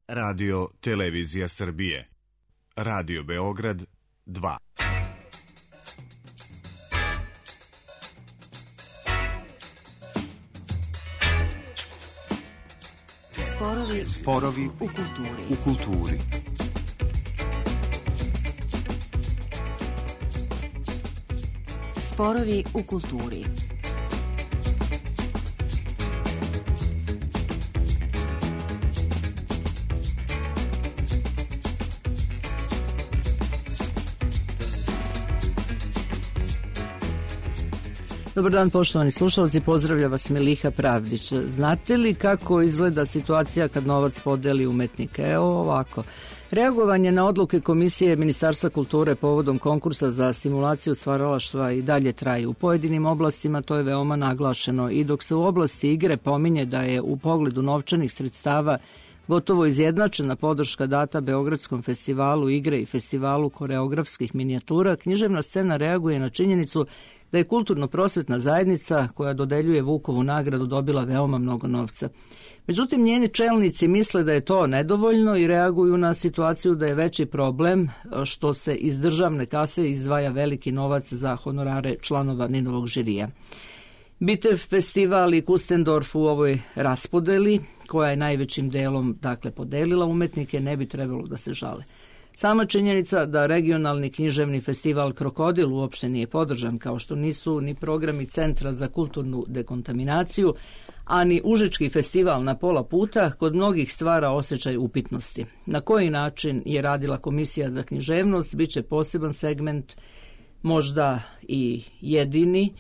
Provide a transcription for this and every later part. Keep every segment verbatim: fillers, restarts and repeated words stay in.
Radio Televizija Srbije. Radio Beograd dva. Sporovi, Sporovi u kulturi. u kulturi. Sporovi u kulturi. Dobar dan, poštovani slušalci, pozdravlja vas Miliha Pravdić. Znate li kako izgleda situacija kad novac podeli umetnike? Evo ovako. Reagovanje na odluke Komisije Ministarstva kulture povodom konkursa za stimulaciju stvaralaštva i dalje traje. U pojedinim oblastima to je veoma naglašeno i dok se u oblasti igre pominje da je u pogledu novčanih sredstava gotovo izjednačena podrška data Beogradskom festivalu igre i festivalu koreografskih minijatura, književna scena reaguje na činjenicu da je kulturno-prosvetna zajednica koja dodeljuje Vukovu nagradu dobila veoma mnogo novca. Međutim, njeni čelnici misle da je to nedovoljno i reaguju na situaciju da je veći problem što se iz državne kase izdvaja veliki novac za honorare članova Ninovog žirija. Bitev festival i Kustendorf u ovoj raspodeli, koja je najvećim delom dakle podelila umetnike, ne bi trebalo da se žale. Sama činjenica da regionalni književni festival Krokodil uopšte nije podržan, kao što nisu ni programi Centra za kulturnu dekontaminaciju, a ni Užički festival na pola puta, kod mnogih stvara osjećaj upitnosti. Na koji način je radila Komisija za književnost, bit će poseban segment, možda i jedini,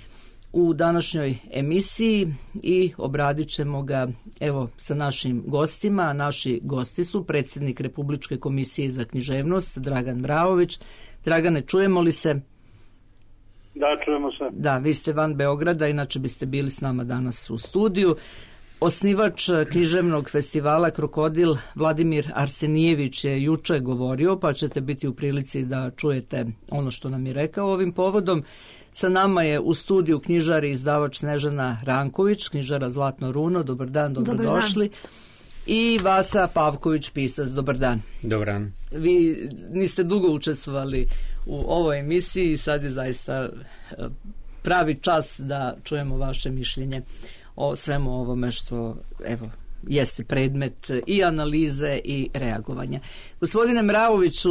u današnjoj emisiji i obradit ćemo ga evo sa našim gostima. Naši gosti su predsjednik Republičke komisije za književnost Dragan Vraović. Dragane, čujemo li se? Da, čujemo se. Da, vi ste van Beograda, inače biste bili s nama danas u studiju. Osnivač književnog festivala Krokodil Vladimir Arsenijević je juče govorio, pa ćete biti u prilici da čujete ono što nam je rekao ovim povodom. Sa nama je u studiju knjižar i izdavač Snežana Ranković, knjižara Zlatno runo. Dobar dan, dobrodošli. Dobar dan. I Vasa Pavković, pisac. Dobar dan. Dobar dan. Vi niste dugo učestvovali u ovoj emisiji, sad je zaista pravi čas da čujemo vaše mišljenje o svemu ovome što evo jeste predmet i analize i reagovanja. Gospodine Mravoviću,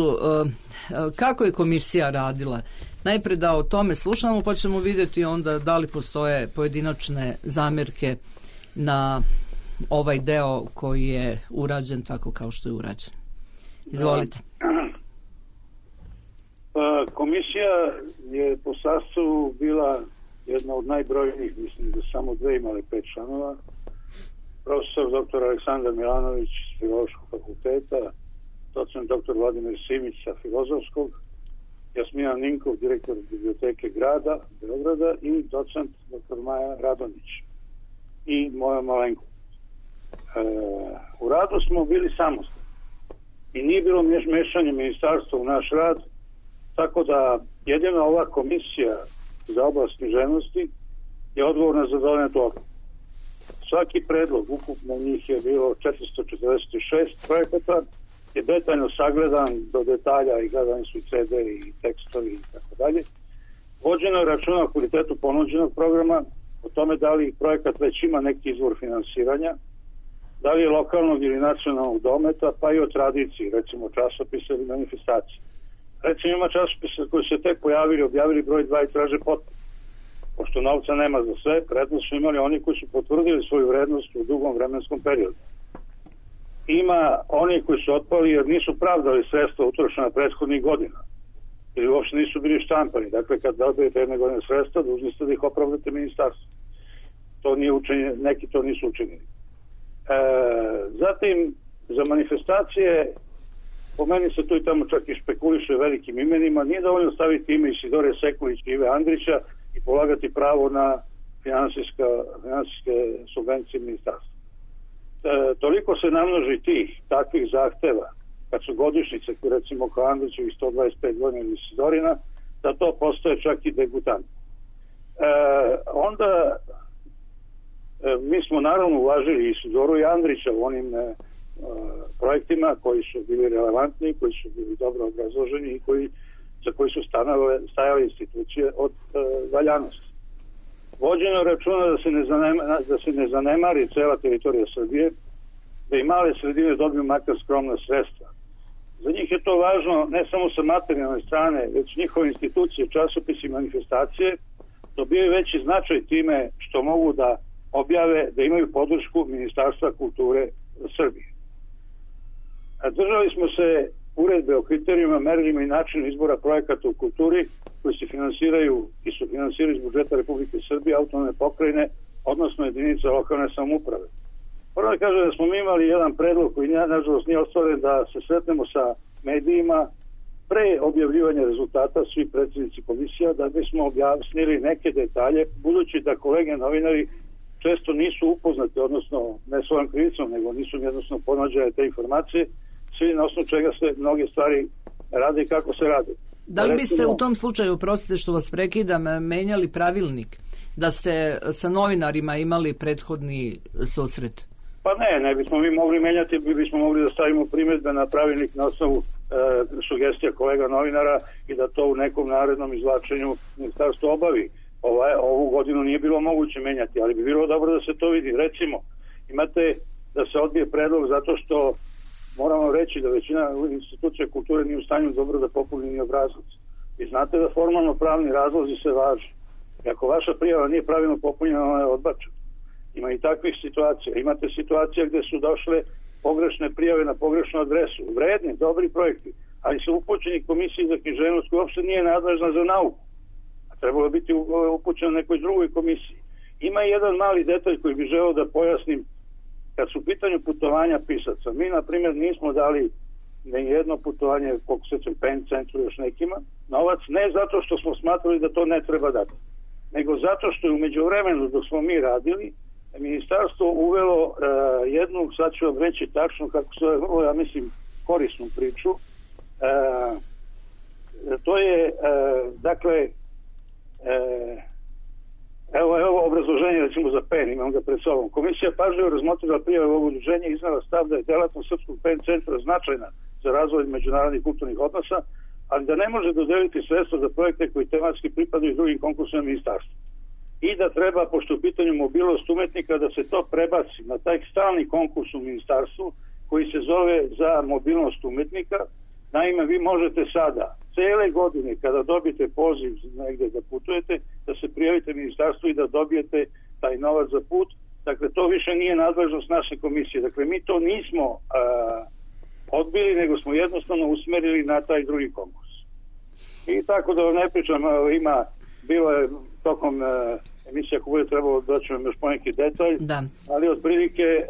kako je komisija radila? Najpre da o tome slušamo, pa ćemo vidjeti onda da li postoje pojedinačne zamjerke na ovaj deo koji je urađen tako kao što je urađen. Izvolite. Komisija je po sastavu bila jedna od najbrojnijih, mislim da samo dve imale pet članova. Profesor doktor Aleksandar Milanović s Filološkog fakulteta, docent doktor Vladimir Simić sa Filozofskog, Jasmina Ninkov, direktor biblioteke grada Beograda i docent doktor Maja Radonić i moja malenko. E, u radu smo bili samostalni i nije bilo mešanje ministarstva u naš rad, tako da jedina ova komisija za oblast književnosti je odgovorna za donetu odluku. Svaki predlog, ukupno njih je bilo četiristo četrdeset šest projekata, je detaljno sagledan do detalja i gledani su i ce de i tekstovi i tako dalje. Vođeno je računa o kvalitetu ponuđenog programa, o tome da li projekat već ima neki izvor finansiranja, da li je lokalnog ili nacionalnog dometa, pa i o tradiciji, recimo časopisa ili manifestacije. Recimo ima časopisa koji se tek pojavili, objavili broj dva i traže potpuno. Pošto novca nema za sve, prednost su imali oni koji su potvrdili svoju vrednost u dugom vremenskom periodu. Ima oni koji su otpali jer nisu pravdali sredstva utrošena prethodnih godina ili uopšte nisu bili štampani. Dakle, kad dobijete jedne godine sredstva, dužni ste da ih opravdate ministarstvu. To nije učinjeno, neki to nisu učinili. E, zatim, za manifestacije, po meni se tu i tamo čak i špekuliše velikim imenima. Nije dovoljno staviti ime Isidore Sekulić i Ive Andrića i polagati pravo na finansijska, finansijske subvencije ministarstva. E, toliko se namnoži tih takvih zahteva kad su godišnjice, recimo kao Andrićevih sto dvadeset pet godina ili Isidorina, da to postoje čak i degutant. E, onda e, mi smo naravno uvažili Isidoru i Andrića u onim e, projektima koji su bili relevantni, koji su bili dobro obrazloženi i koji, za koji su stanove, stajale institucije od uh, valjanosti. Vođeno računa da se, ne zanema, da se ne zanemari cela teritorija Srbije, da i male sredine dobiju makar skromna sredstva. Za njih je to važno ne samo sa materijalne strane, već njihove institucije, časopisi i manifestacije dobijaju veći značaj time što mogu da objave da imaju podršku Ministarstva kulture Srbije. A držali smo se uredbe o kriterijima, merilima i načinu izbora projekata u kulturi koji se finansiraju i su finansiraju iz budžeta Republike Srbije, autonomne pokrajine, odnosno jedinica lokalne samouprave. Prvo da kažem da smo mi imali jedan predlog koji nažalost nije ostvaren, da se sretnemo sa medijima pre objavljivanja rezultata, svi predsjednici komisija, da bismo objasnili neke detalje, budući da kolege novinari često nisu upoznati, odnosno ne svojom krivicom, nego nisu jednostavno ponuđene te informacije, svi na osnovu čega se mnoge stvari rade i kako se rade. Da li biste u tom slučaju, prostite što vas prekidam, menjali pravilnik, da ste sa novinarima imali prethodni susret? Pa ne, ne bismo mi mogli menjati, mi bismo mogli da stavimo primjedbe na pravilnik na osnovu e, sugestija kolega novinara i da to u nekom narednom izvlačenju ministarstvo obavi. Ovaj, ovu godinu nije bilo moguće menjati, ali bi bilo dobro da se to vidi. Recimo, imate da se odbije predlog zato što moramo reći da većina institucija kulture nije u stanju dobro da popuni ni obrazac. I znate da formalno pravni razlozi se važe. I ako vaša prijava nije pravilno popunjena, ona je odbačena. Ima i takvih situacija. Imate situacije gdje su došle pogrešne prijave na pogrešnu adresu. Vredni, dobri projekti, ali su upućeni komisiji za književnost koja uopšte nije nadležna za nauku. A trebalo biti upućeno nekoj drugoj komisiji. Ima i jedan mali detalj koji bi želeo da pojasnim kad su u pitanju putovanja pisaca. Mi, na primjer, nismo dali ne jedno putovanje, koliko se ćem Pen centru još nekima, novac, ne zato što smo smatrali da to ne treba dati, nego zato što je u međuvremenu dok smo mi radili, ministarstvo uvelo uh, jednu, sad ću vam reći tačno kako se vrlo, ja mislim, korisnu priču. Uh, to je, uh, dakle, uh, evo, evo obrazloženje recimo za Pen, imam ga pred sobom. Komisija pažljivo razmotrila prijave ovog udruženja i iznala stav da je delatnost Srpskog Pen centra značajna za razvoj međunarodnih kulturnih odnosa, ali da ne može dodeliti sredstva za projekte koji tematski pripadaju drugim konkursima ministarstva. I da treba, pošto u pitanju mobilnost umetnika, da se to prebaci na taj stalni konkurs u ministarstvu koji se zove za mobilnost umetnika. Naime, vi možete sada, cele godine, kada dobijete poziv negde da putujete, da se prijavite ministarstvu i da dobijete taj novac za put. Dakle, to više nije nadležnost naše komisije. Dakle, mi to nismo a, odbili, nego smo jednostavno usmerili na taj drugi konkurs. I tako da vam ne pričam, ima, bilo je tokom a, emisija ako bude trebalo doći vam još poneki detalj, da. Ali otprilike e,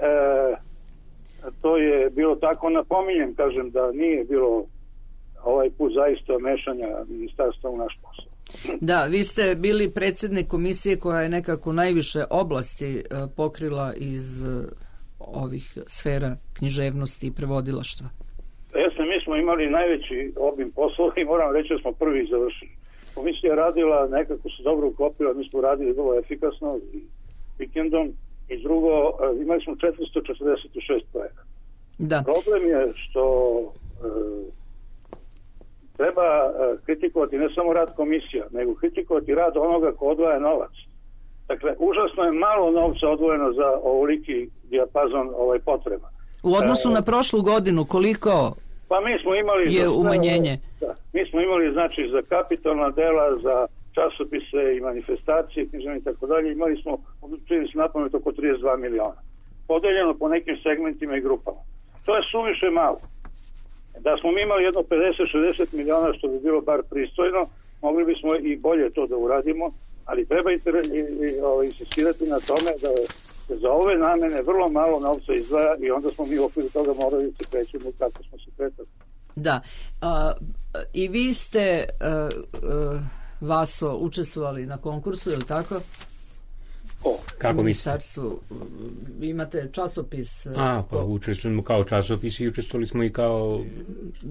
to je bilo tako. Napominjem, kažem da nije bilo ovaj put zaista mešanja ministarstva u naš posao. Da, vi ste bili predsjednik komisije koja je nekako najviše oblasti e, pokrila iz e, ovih sfera književnosti i prevodilaštva. Jesno, mi smo imali najveći obim poslova i moram reći da smo prvi završili. Komisija je radila, nekako se dobro uklopila, mi smo radili vrlo efikasno i vikendom, i drugo, imali smo četiristo četrdeset šest projekata. Da. Problem je što e, treba e, kritikovati ne samo rad komisija, nego kritikovati rad onoga ko odvaja novac. Dakle, užasno je malo novca odvojeno za ovoliki dijapazon ovaj potreba. U odnosu e, na prošlu godinu, koliko pa mi smo imali je za, umanjenje? Da, mi smo imali, znači, za kapitalna dela, za časopise i manifestacije, književne i tako dalje, imali smo, čini se napamet, oko trideset dva miliona. Podeljeno po nekim segmentima i grupama. To je suviše malo. Da smo mi imali jedno pedeset šezdeset miliona, što bi bilo bar pristojno, mogli bismo i bolje to da uradimo, ali treba insistirati na tome da za ove namene vrlo malo novca izdvaja i onda smo mi u okviru toga morali se krećemo kako smo se kretali. Da. A, i vi ste a, a, Vaso učestvovali na konkursu, je li tako? O, kako u ministarstvu. Vi imate časopis. A, pa učestvujemo kao časopis i učestvovali smo i kao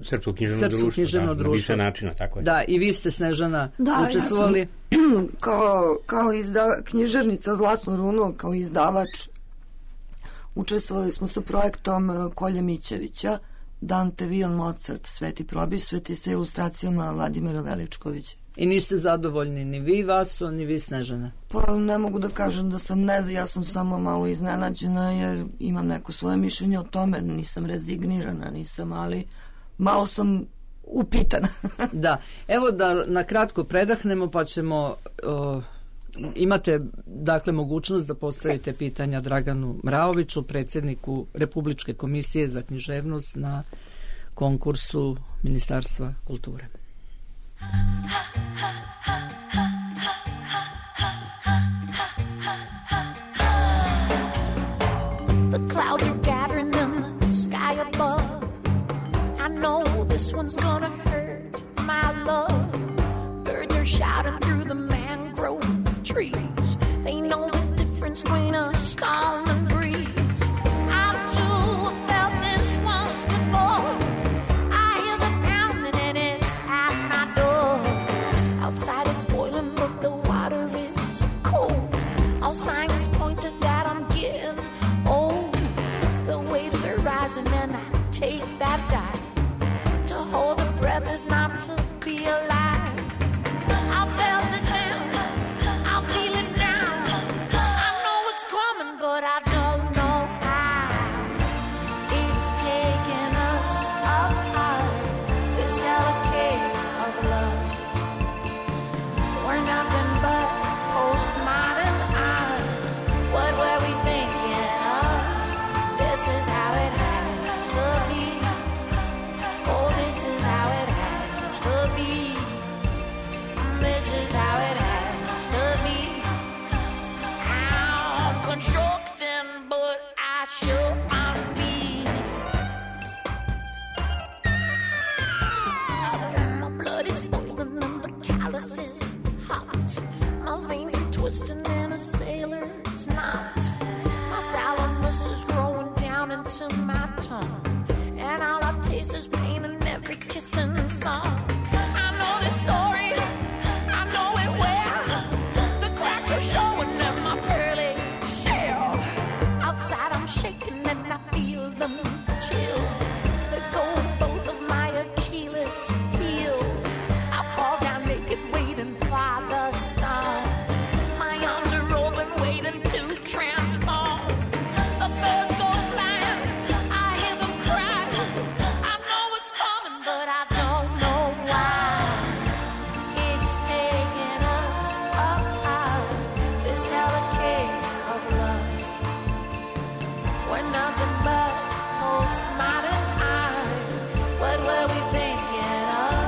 Srpsko književno Srpsko društvo. Književno da, društvo. Na više načina, tako je. Da, i vi ste, Snežana, da, učestvovali. Ja sam, kao, kao izda, književnica Zlatnu runu, kao izdavač učestvovali smo sa projektom Kolje Mićevića, Dante, Vion, Mozart, Sveti probisveti sa ilustracijama Vladimira Veličkovića. I niste zadovoljni ni vi, Vaso, ni vi, Snežana? Pa ne mogu da kažem da sam ne, ja sam samo malo iznenađena jer imam neko svoje mišljenje o tome, nisam rezignirana, nisam, ali malo sam upitana. Da, evo da na kratko predahnemo pa ćemo... Uh, imate dakle mogućnost da postavite pitanja Draganu Mraoviću, predsjedniku Republičke komisije za književnost na konkursu Ministarstva kulture. The clouds are gathering in the sky above. I know this one's gonna hurt, my love. Birds are shouting through the mangrove trees. They know the difference between a storm and breeze. I too have felt this once before. I hear the pounding and it's at my door. Outside it's boiling but the water is cold. All signs point to that I'm getting old. The waves are rising and I take that dive. To hold a breath is not to be alive. I felt it now, I feel it now. I know it's coming, but I don't know how. It's taking us apart. This hell a case of love. We're nothing but postmodern art. What were we thinking of? This is how it has to be. Oh, this is how it has to be. This is how it has to be. I'm constructing, but I should be. My blood is boiling and the callus is hot. My veins are twisting in a sailor's knot. My thalamus is growing down into my tongue. And all I taste is pain in every kissing song. I know this story, I know it well. The cracks are showing in my pearly shell. Outside I'm shaking and I feel them chills. Let go of both of my Achilles heels. I fall down naked waiting for the storm. My arms are open waiting to transform. The birds go flying, I hear them cry. I know it's coming, but I don't know why. It's taking us apart. This hell a case of love. We're nothing but postmodern art. What were we thinking of?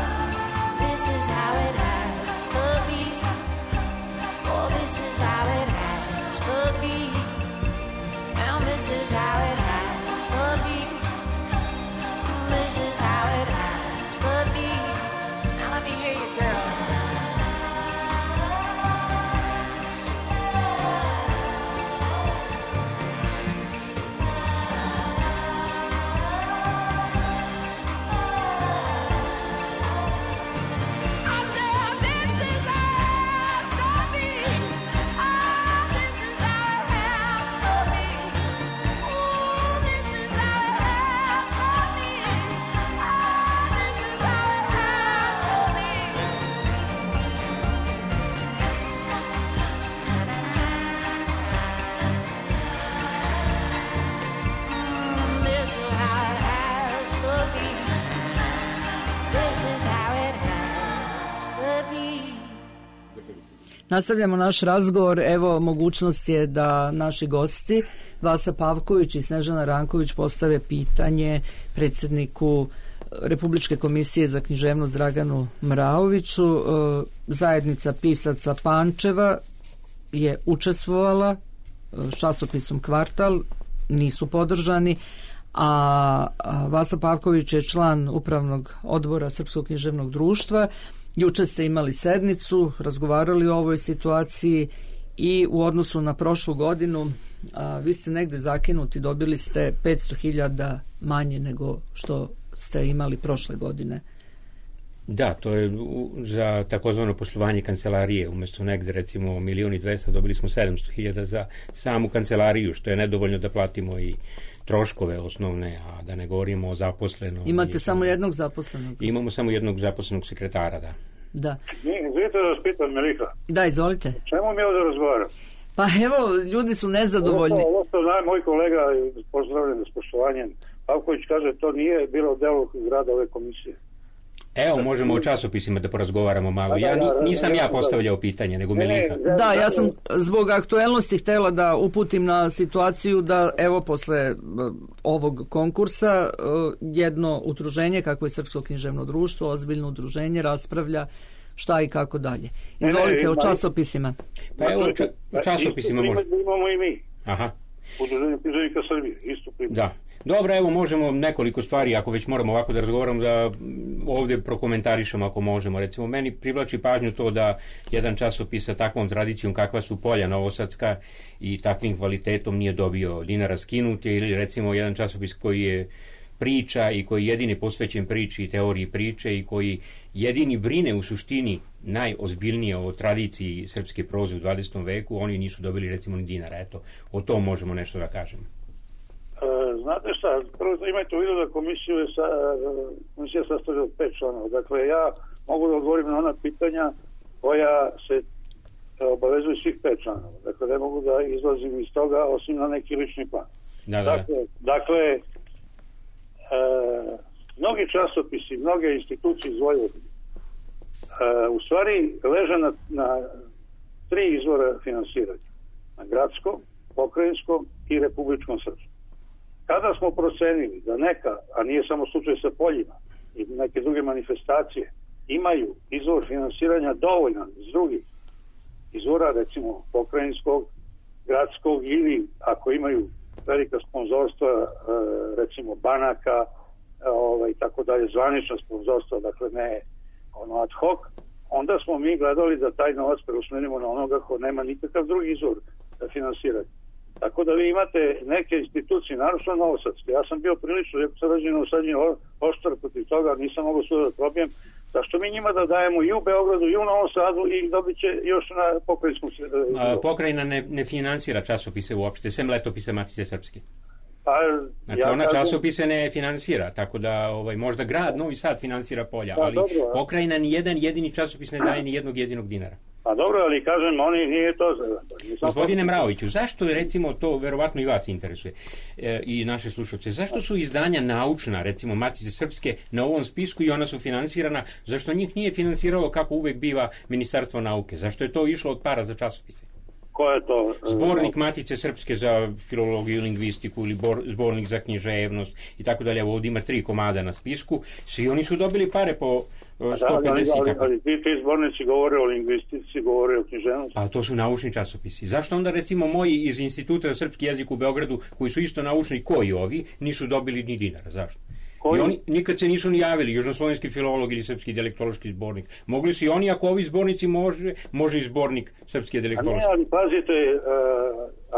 This is how it has to be. Oh, this is how it has to be. And this is how it has to be. This is how it has to be. Now let me hear you, girl. I said, this is how it has to be. Oh, this is how it has to be. Oh, this is how it has to be. Oh, this is how it has to be. This is how it has to be. This is how it has to be. Nastavljamo naš razgovor. Evo, mogućnost je da naši gosti Vasa Pavković i Snežana Ranković postave pitanje predsjedniku Republičke komisije za književnost Draganu Mraoviću. E, Zajednica pisaca Pančeva je učestvovala e, s časopisom Kvartal, nisu podržani, a a Vasa Pavković je član upravnog odbora Srpskog književnog društva. Juče ste imali sednicu, razgovarali o ovoj situaciji i u odnosu na prošlu godinu a, vi ste negde zakinuti, dobili ste petsto hiljada manje nego što ste imali prošle godine. Da, to je u, za takozvano poslovanje kancelarije. Umjesto negde recimo milion i dvesta dobili smo sedamsto hiljada za samu kancelariju, što je nedovoljno da platimo i troškove osnovne, a da ne govorimo o zaposlenom. Imate i, samo jednog zaposlenog? Imamo samo jednog zaposlenog sekretara, da. Da. Izvijete da vas pitam, Miliha. Da, izvolite. Čemu mi ovdje razgovaram? Pa evo, ljudi su nezadovoljni. Ovo, ovo što zna moj kolega, pozdravljen s poštovanjem, Pavković kaže, to nije bilo delo rada ove komisije. Evo, možemo o časopisima da porazgovaramo malo. Ja nisam ja postavljao pitanje, nego Miliha. Da, ja sam zbog aktuelnosti htjela da uputim na situaciju da evo posle ovog konkursa jedno udruženje, kako je Srpsko književno društvo, ozbiljno udruženje, raspravlja šta i kako dalje. Izvolite, o časopisima. Pa evo, o časopisima možemo. Imamo i mi. Aha. Udruženje književnika Srbije, isto primjer. Da. Dobro, evo možemo nekoliko stvari, ako već moramo ovako da razgovaramo, da ovdje prokomentarišemo ako možemo. Recimo, meni privlači pažnju to da jedan časopis sa takvom tradicijom kakva su Polja Novosadska i takvim kvalitetom nije dobio dinara skinuti, ili recimo jedan časopis koji je priča i koji jedini posvećen priči i teoriji priče i koji jedini brine u suštini najozbiljnije o tradiciji srpske proze u dvadesetom veku, oni nisu dobili recimo ni dinara. Eto, o tom možemo nešto da kažemo. Znate šta, prvo imajte u vidu da komisiju je sa, komisija sastavlja od pet članova. Dakle, ja mogu da odgovorim na ona pitanja koja se obavezuju svih pet članova. Dakle, ne mogu da izlazim iz toga osim na neki lični plan. Da, da. Dakle, dakle e, mnogi časopisi, mnoge institucije iz Vojvodine e, u stvari leže na, na tri izvora finansiranja. Na gradskom, pokrajinskom i republičkom srpskom. Kada smo procenili da neka, a nije samo slučaj sa Poljima i neke druge manifestacije, imaju izvor finansiranja dovoljan iz drugih izvora, recimo pokrajinskog, gradskog ili ako imaju velika sponzorstva, recimo banaka, ovaj, tako dalje, zvanična sponzorstva, dakle ne ono ad hoc, onda smo mi gledali da taj novac preusmerimo na onoga ko nema nikakav drugi izvor da finansirati. Tako da vi imate neke institucije, naravno Novosadske. Ja sam bio prilično, jako sam rađen u sadnji oštar protiv toga, nisam mogao sve da probijem. Zašto mi njima da dajemo i u Beogradu i u Novom Sadu i dobit će još na pokrajinskom... A, pokrajina ne, ne finansira časopise uopšte, sem letopise Matice Srpske. Pa, znači ja ona kažem... časopise ne finansira, tako da ovaj, možda grad Novi Sad finansira Polja, da, ali dobro, pokrajina ni jedan jedini časopis ne daje ni jednog jedinog dinara. Pa dobro, ali kažem, oni nije to... Gospodine Mraoviću, zašto je recimo to, verovatno i vas interesuje e, i naše slušalce, zašto su izdanja naučna, recimo Matice Srpske, na ovom spisku i ona su finansirana, zašto njih nije finansiralo kako uvek biva Ministarstvo nauke? Zašto je to išlo od para za časopise? Ko je to? Zbornik Matice Srpske za filologiju i lingvistiku ili bor, zbornik za književnost i tako dalje. Ovdje ima tri komada na spisku. Svi oni su dobili pare po sto pedeset. Da, ali, ali, ali ti, ti zbornici govore o lingvistici, govore o književnosti. A to su naučni časopisi. Zašto onda recimo moji iz Instituta za srpski jezik u Beogradu, koji su isto naučni koji ovi, nisu dobili ni dinara? Zašto? I oni nikad se nisu ni javili, južnoslovenski filolog ili srpski dijalektološki zbornik. Mogli su i oni, ako ovi zbornici može, može i zbornik srpski dijalektološki. A ne, ali pazite...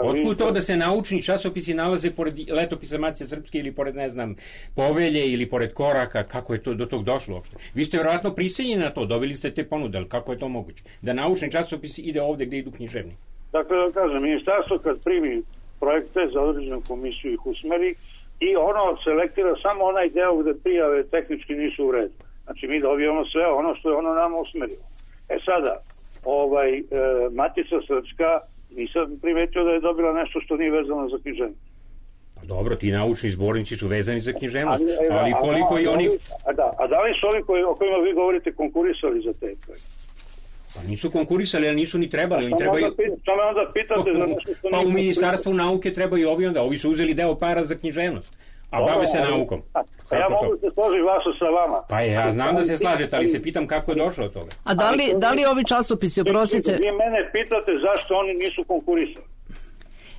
Uh, Otkud to da se naučni časopisi nalaze pored letopisa Matice Srpske ili pored, ne znam, Povelje ili pored Koraka? Kako je to do tog došlo uopšte? Vi ste vjerojatno prisiljeni na to, dobili ste te ponude, ali kako je to moguće? Da naučni časopis ide ovdje gdje idu književni? Dakle, da kažem, ministarstvo kad primi projekte za određenu komisiju ih usmeri, i ono selektira samo onaj deo gde prijave tehnički nisu u redu. Znači mi dobijamo sve ono što je ono nama usmerilo. E sada, ovaj, e, Matica Srpska, nisam primetio da je dobila nešto što nije vezano za književnost. Pa dobro, ti naučni zbornici su vezani za književnost, ali, ali koliko a, a, i oni... A da, a da li su ovi koji, o kojima vi govorite konkurisali za te projekte? Pa nisu konkurisali, ali nisu ni trebali. Oni trebaju... Što me onda pitate za nešto što... Pa u Ministarstvu nauke trebaju ovi onda. Ovi su uzeli deo para za književnost, a bave se naukom. Pa ja mogu se složiti vašu sa vama. Pa ja znam da se slažete, ali se pitam kako je došlo od toga. A da li, da li ovi časopisi, oprostite... Vi mene pitate zašto oni nisu konkurisali.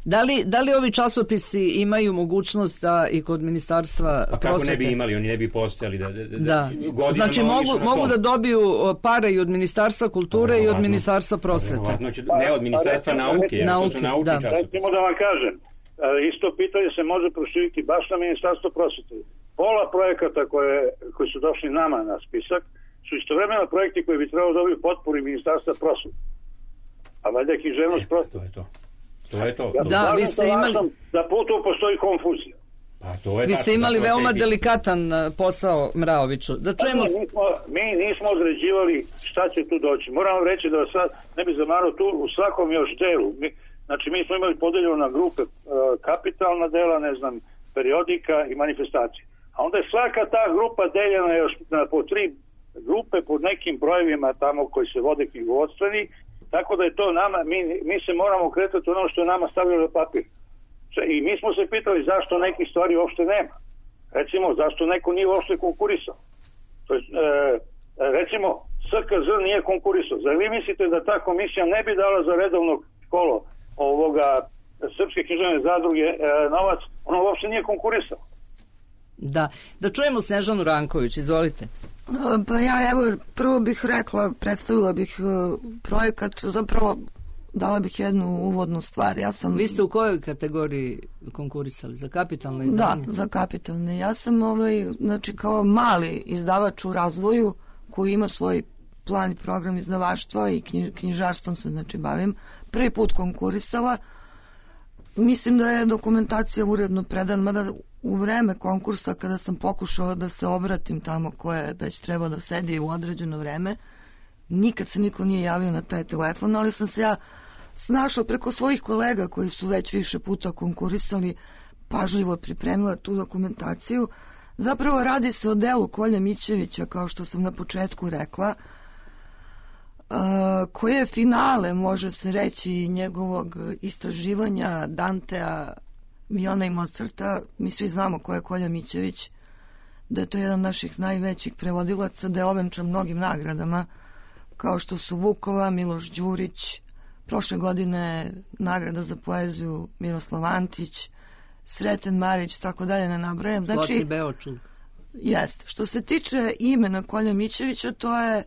Da li, da li ovi časopisi imaju mogućnost da i kod ministarstva prosvete... A kako ne bi imali, oni ne bi postojali da... Da, da. da. Znači mogu, mogu da dobiju pare i od ministarstva kulture pa, i od ministarstva prosvete. Ne od ministarstva pa, nauke, jer nauke, to su naučni da. časopisi. Recimo da vam kažem, isto pitanje se može proširiti baš na ministarstvo prosvete. Pola projekata koje, koji su došli nama na spisak su istovremeno projekti koji bi trebalo dobiti potporu i Ministarstva prosvete. A valjda je književnost prosvete. To je to. To je to. Ja, da, vi ste imali... Da putu postoji konfuzija. Pa, to je vi ste imali veoma delikatan posao, Mraoviću. Da čujemo... mi, nismo, mi nismo određivali šta će tu doći. Moram vam reći da sad ne bi zamarao tu u svakom još delu. Mi, znači mi smo imali podeljeno na grupe uh, kapitalna dela, ne znam, periodika i manifestacije. A onda je svaka ta grupa deljena još na po tri grupe pod nekim brojevima tamo koji se vode knjigovodstveni, tako da je to nama, mi, mi se moramo kretati ono što je nama stavljeno na papir. I mi smo se pitali zašto nekih stvari uopšte nema. Recimo, zašto neko nije uopšte konkurisao. To je, e, recimo, S K Z nije konkurisao. Zar vi mislite da ta komisija ne bi dala za redovno kolo ovoga Srpske književne zadruge e, novac? Ono uopšte nije konkurisao. Da. Da čujemo Snežanu Ranković, izvolite. Pa ja, evo, prvo bih rekla, predstavila bih uh, projekat, zapravo dala bih jednu uvodnu stvar. Ja sam... Vi ste u kojoj kategoriji konkurisali? Za kapitalne izdanje? Da, za kapitalne. Ja sam ovaj, znači kao mali izdavač u razvoju koji ima svoj plan i program izdavaštva i knjižarstvom se znači bavim. Prvi put konkurisala. Mislim da je dokumentacija uredno predana, mada u vreme konkursa kada sam pokušala da se obratim tamo koje već treba da sedi u određeno vreme, nikad se niko nije javio na taj telefon, ali sam se ja snašla preko svojih kolega koji su već više puta konkurisali, pažljivo pripremila tu dokumentaciju. Zapravo radi se o delu Kolje Mićevića, kao što sam na početku rekla, koje je finale, može se reći, njegovog istraživanja Dantea, Viona i Mozarta. Mi svi znamo ko je Kolja Mićević, da je to jedan od naših najvećih prevodilaca, da je ovenčan mnogim nagradama, kao što su Vukova, Miloš Đurić, prošle godine nagrada za poeziju Miroslav Antić, Sreten Marić, tako dalje, ne nabrajam. Znači, Zlatni Beočul. Jeste. Što se tiče imena Kolja Mićevića, to je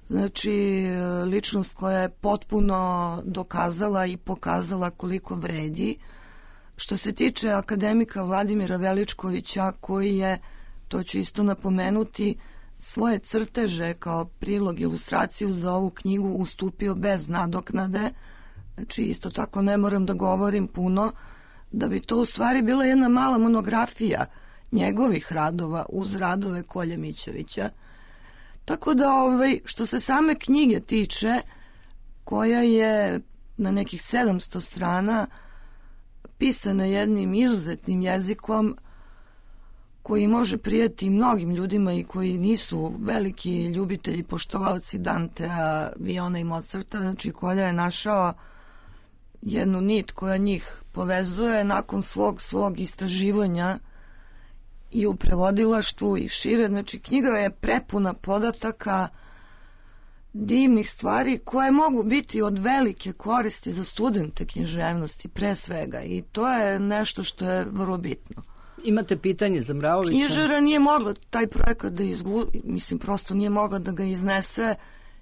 znači ličnost koja je potpuno dokazala i pokazala koliko vredi. Što se tiče akademika Vladimira Veličkovića, koji je, to ću isto napomenuti, svoje crteže kao prilog, ilustraciju za ovu knjigu ustupio bez nadoknade, znači isto tako ne moram da govorim puno, da bi to u stvari bila jedna mala monografija njegovih radova uz radove Kolje Mićevića. Tako da, ovaj, što se same knjige tiče, koja je na nekih sedamsto strana pisana jednim izuzetnim jezikom koji može prijeti mnogim ljudima i koji nisu veliki ljubitelji, poštovaoci Dantea, Viona i Mozarta, znači Kolja je našao jednu nit koja njih povezuje nakon svog svog istraživanja i u prevodilaštvu i šire. Znači knjiga je prepuna podataka, divnih stvari koje mogu biti od velike koristi za studente književnosti pre svega, i to je nešto što je vrlo bitno. Imate pitanje za Mraovića? Knjižara nije mogla taj projekat da izgu... mislim, prosto nije mogla da ga iznese